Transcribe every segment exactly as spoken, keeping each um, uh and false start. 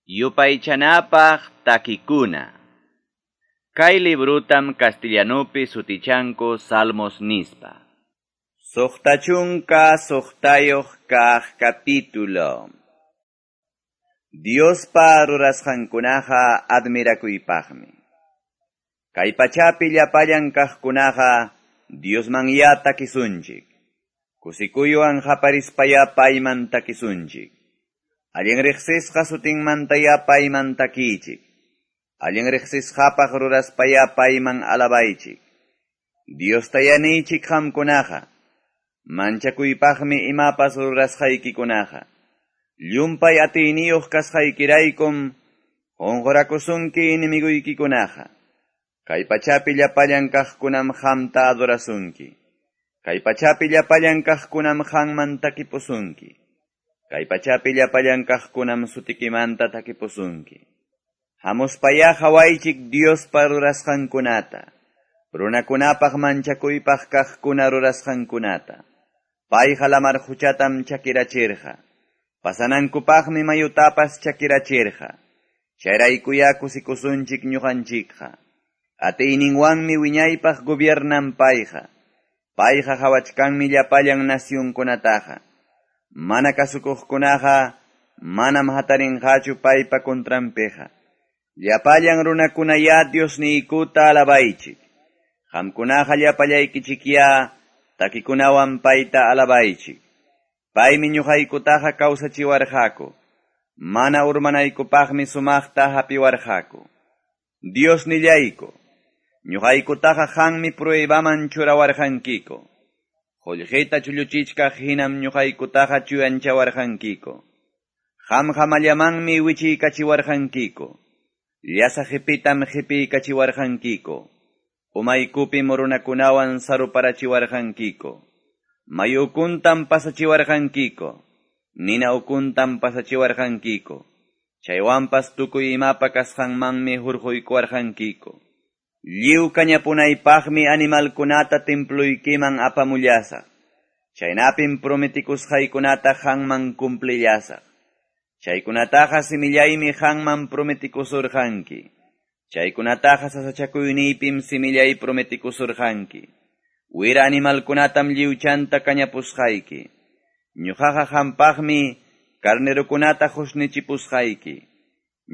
Yupaychanapaq takikuna. Kay librutam castellanupi sutichanku Salmos nispa. Suqta chunka suqtayuq kaq capítulo. Diospa rurasqankunaqa admirakuypaqmi. Kay pachapi llapallan kaqkunaqa Diosmanyá takisunchik. Kusikuywan qaparispayá payman takisunchik. Allin riqsisqa sutinmantayá payman takichik. Allin riqsisqapaq ruraspayá payman alabaychik. Diostayá niychik qamkunaqa. Manchakuypaqmi imapas rurasqaykikunaqa. Llumpay atiyniyuq kasqaykiraykum qunqurakusunki enemiguykikunaqa. Kay pachapi llapallan kaqkunam qamta adorasunki. Kay pachapi llapallan kaqkunam qamman takipusunki. Kay pachapi llapallan kaqkunam sutikimanta takipusunki. Hamuspayá qhawaychik Diospa rurasqankunata. Runakunapaq manchakuypaq kaqkuna rurasqankunata. Payqa lamar quchatam chakirachirqa. Pasanankupaqmi mayutapas chakirachirqa. Chayraykuyá kusikusunchik ñuqanchikqa. Atiyninwanmi wiñaypaq gobiernan payqa. Payqa qhawachkanmi llapallan nacionkunataqa. Mana kasukuqkunaqa manam hatarinqachu paypa contranpiqa. Llapallan runakunayá Diosniykuta alabaychik. Qamkunaqa llapallaykichikyá takikunawan payta alabaychik. Paymi ñuqaykutaqa kawsachiwarqaku. Mana urmanaykupaqmi sumaqta hapiwarqaku. Diosnillayku, ñuqaykutaqa qanmi pruebaman churawarqankiku. Qullqita chulluchichkaq hinam ñuqaykutaqa chuyanchawarqankiku. Qamqa mallamanmi wichiykachiwarqankiku. Llasa qipitam qipiykachiwarqankiku. Umaykupim runakunawan saruparachiwarqankiku. Mayu ukuntam pasachiwarqankiku. Nina ukuntam pasachiwarqankiku. Chaywanpas tukuy imapa kasqanmanmi hurquykuwarqankiku. Lliw kañapunaypaqmi animalkunata templuykiman apamullasaq. Chaynapim prometikusqaykunata qamman cumplillasaq. Chaykunataqa simillaymi qamman prometikusurqanki. Chaykunataqa sasachakuyniypim simillay prometikusurqanki. Wira animalkunatam lliwchanta kañapusqayki. Ñuqaqa qampaqmi carnerokunata qusnichipusqayki.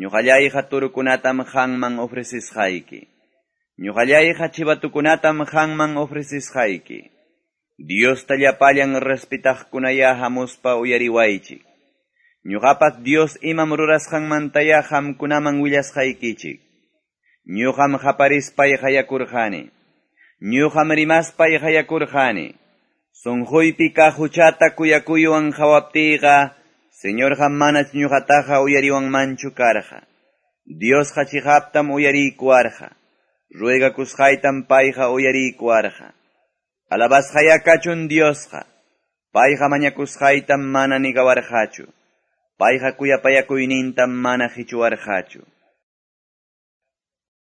Ñuqallayqa turukunatam qamman ofrecisqayki. Ñuqallayqa chivatukunatam qamman ofrecisqayki. Diosta llapallan respetaqkunayá hamuspa uyariwaychik. Ñuqapas Dios imam rurasqanmantayá qamkunaman willasqaykichik. Ñuqam qaparispay qayakurqani. Ñuqam rimaspay qayakurqani. Sunquypi kaq huchata kuyakuywan qhawaptiyqa, Señorqa manach ñuqataqa uyariwanmanchu karqa. Diosqa chiqaptam uyariykuwarqa. Ruegakusqaytam payqa uyariykuwarqa. Alabasqayá kachun Diosqa. Payqa mañakusqaytam mana nigawarqachu. Payqa kuyapayakuynintam mana qichuwarqachu.